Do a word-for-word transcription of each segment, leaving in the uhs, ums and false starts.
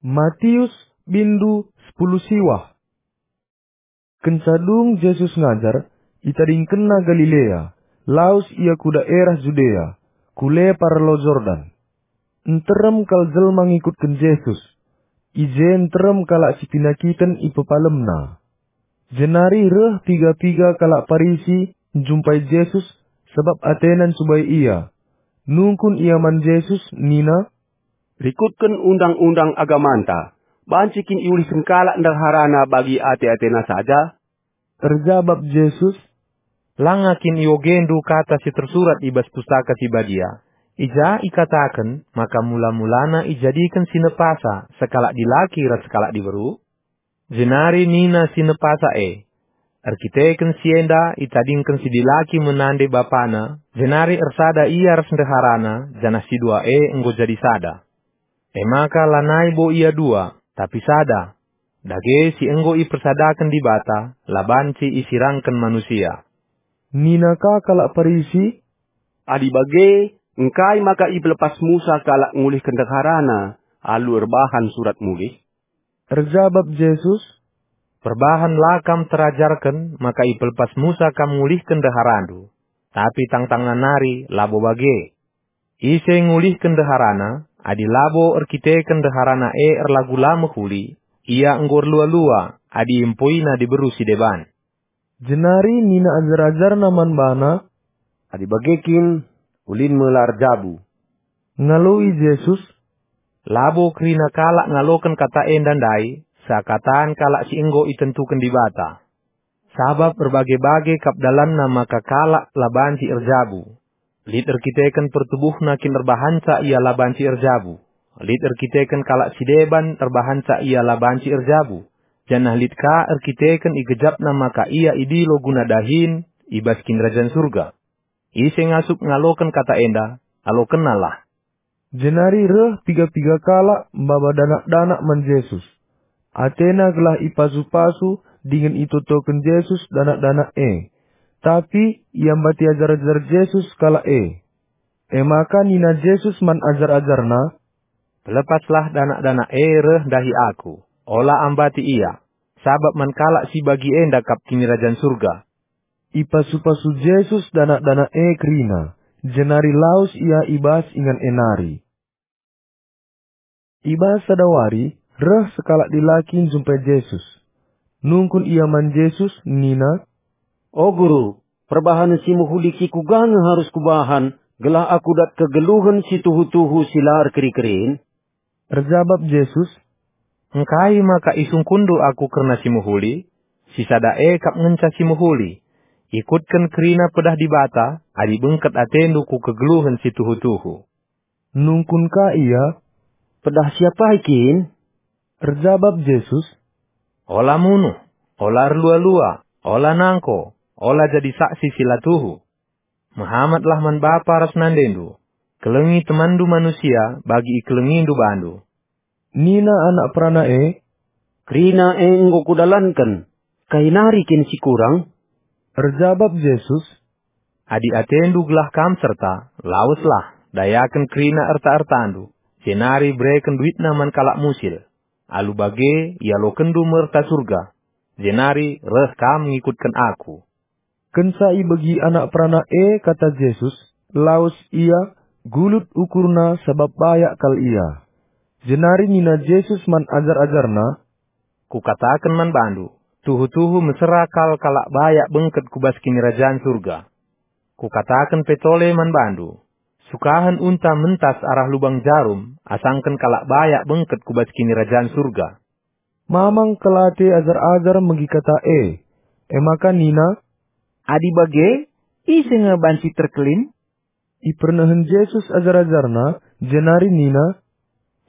Matius, bindu sepuluh siwah. Kenca dung Jesus ngajar, itadingkenNa Galilea, lawes Ia ku daerah Judea, ku lepar Lau Jordan. Nterem kal jelma ngikutken Jesus. I je nterem kalak si penakiten ipepalemNa. Jenari reh piga-piga kalak Parisi njumpai Jesus, sabap atena ncubai Ia. Nungkun ia man Jesus, nina, "Rikutken undang-undang agamanta, banci kin iulihken kalak ndeharana bagi ate-atena saja?" Erjabap Jesus, "Langa kin iogendu kata si tersurat i bas Pustaka Si Badia, i ja ikataken maka mula-mulana ijadiken si nepasa sekalak dilaki ras sekalak diberu?" Jenari nina si nepasa e, "Erkiteken si enda itadingken si dilaki me nande bapana, jenari ersada ia ras ndeharana, janah si dua e enggo jadi sada." E maka lanai bo ia dua, tapi sada. Dage si enggo ipersadaken Dibata, la banci isirangken manusia. Nina ka kalak Parisi, "Adi bage, engkai maka ipelepas Musa kalak ngulihken ndeharana alu erbahan surat mulih?" Erjabap Jesus, "Perbahan la kam terajarken maka ipelepas Musa kam ngulihken ndeharandu, tapi tangtangna nari labo bage. Ise ngulihken ndeharana, adi labo erkiteken ndeharana e erlagu la mehuli, ia enggo erlua-lua adi iempoina diberu si deban." Jenari nina ajar-ajarNa man baNa, "Adi bage kin, ulin me la erjabu." Ngaloi Jesus, "Labo kerina kalak ngaloken kata enda ndai, seakatan kalak si enggo itentuken Dibata. Sabap erbage-bage kap dalanna maka kalak la banci erjabu. Lit erkiteken pertubuhna kin erbahanca ia la banci erjabu. Lit erkiteken kalak si deban erbahanca ia la banci erjabu. Janah lit ka erkiteken igejapna maka ia idilo guna dahin i bas Kinirajan Surga. Ise ngasup ngaloken kata enda, alokennalah." Jenari reh piga-piga kalak maba danak-danak man Jesus. Atena gelah ipasu-pasu dingen itotoken Jesus danak-danak e. Tapi iambati ajar-ajar Jesus kalak e. E maka nina Jesus man ajar-ajarNa, "Pelepaslah danak-danak e reh ndahi Aku, ola ambati ia, sabap man kalak si bagi enda kap Kinirajan Surga." Ipasu-pasu Jesus danak-danak e kerina, jenari lawes ia i bas ingan e nari. I bas sada wari, reh sekalak dilaki njumpai Jesus. Nungkun ia man Jesus, nina, "O Guru, perbahanen si mehuli si kuga nge arus kubahan, gelah aku dat kegeluhen si tuhu-tuhu si la erkeri-kerin?" Erjabap Jesus, "Engkai maka isungkunndu Aku kerna si mehuli? Si sada e kap ngenca si mehuli. Ikutken kerina pedah Dibata, adi bengket atendu ku kegeluhen si tuhu-tuhu." Nungkun ka ia, "Pedah si apai kin?" Erjabap Jesus, "Ola munuh, ola erlua-lua, ola nangko, ola jadi saksi si la tuhu. Mehamatlah man bapa ras nandendu. Kelengi temanndu manusia bagi ikelengindu bandu." Nina anak perana e, "Kerina e enggo kudalanken. Kai nari kin si kurang?" Erjabap Jesus, "Adi atendu gelah kam serta, laweslah, dayaken kerina erta-ertandu, jenari bereken duitna man kalak musil. Alu bage ialokenndu me erta Surga, jenari reh kam ngikutken Aku." Kenca ibegi anak perana e kata Jesus, lawes ia, gulut ukurna sabap bayak kal ia. Jenari nina Jesus man ajar-ajarNa, "Kukataken man bandu, tuhu-tuhu mesera kal kalak bayak bengket ku bas Kinirajan Surga. Kukataken pe tole man bandu, sukahen unta mentas arah lubang jarum asangken kalak bayak bengket ku bas Kinirajan Surga." Mamang kal ate ajar-ajar megi kata e. E maka nina, "Adi bage, ise nge banci terkelin?" Ipernehen Jesus ajar-ajarNa, jenari nina,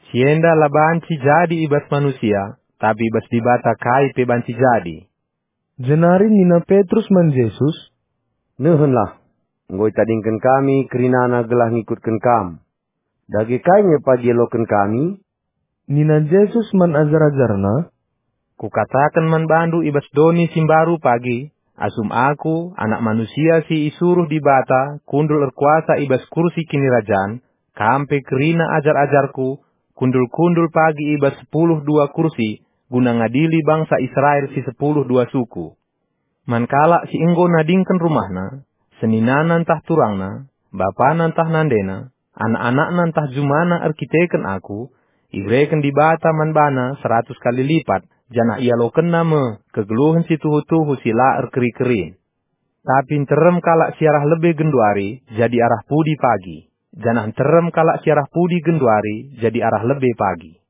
"Si enda la banci jadi i bas manusia, tapi i bas Dibata kai pe banci jadi." Jenari nina Petrus man Jesus, "Nehenlah, enggo itadingken kami kerinana gelah ngikutken Kam. Dage kai nge pagi ialoken kami?" Nina Jesus man ajar-ajarNa, "Kukataken man bandu i bas doni si mbaru pagi, asum Aku, Anak Manusia si isuruh Dibata, kundul erkuasa i bas kursi kinirajan, kam pe kerina ajar-ajarKu, kundul-kundul pagi i bas sepuluh dua kursi guna ngadili bangsa Israel si sepuluh dua suku. Man kalak si enggo nadingken rumahna, seninana ntah turangna, bapana ntah nandena, anak-anakna ntah jumana erkiteken aku, ibereken Dibata man bana seratus kali lipat, janah ialokenna me kegeluhen si tuhu-tuhu si la erkeri-kerin. Tapi nterem kalak si arah lebe genduari jadi arah pudi pagi, janah nterem kalak si arah pudi genduari jadi arah lebe pagi.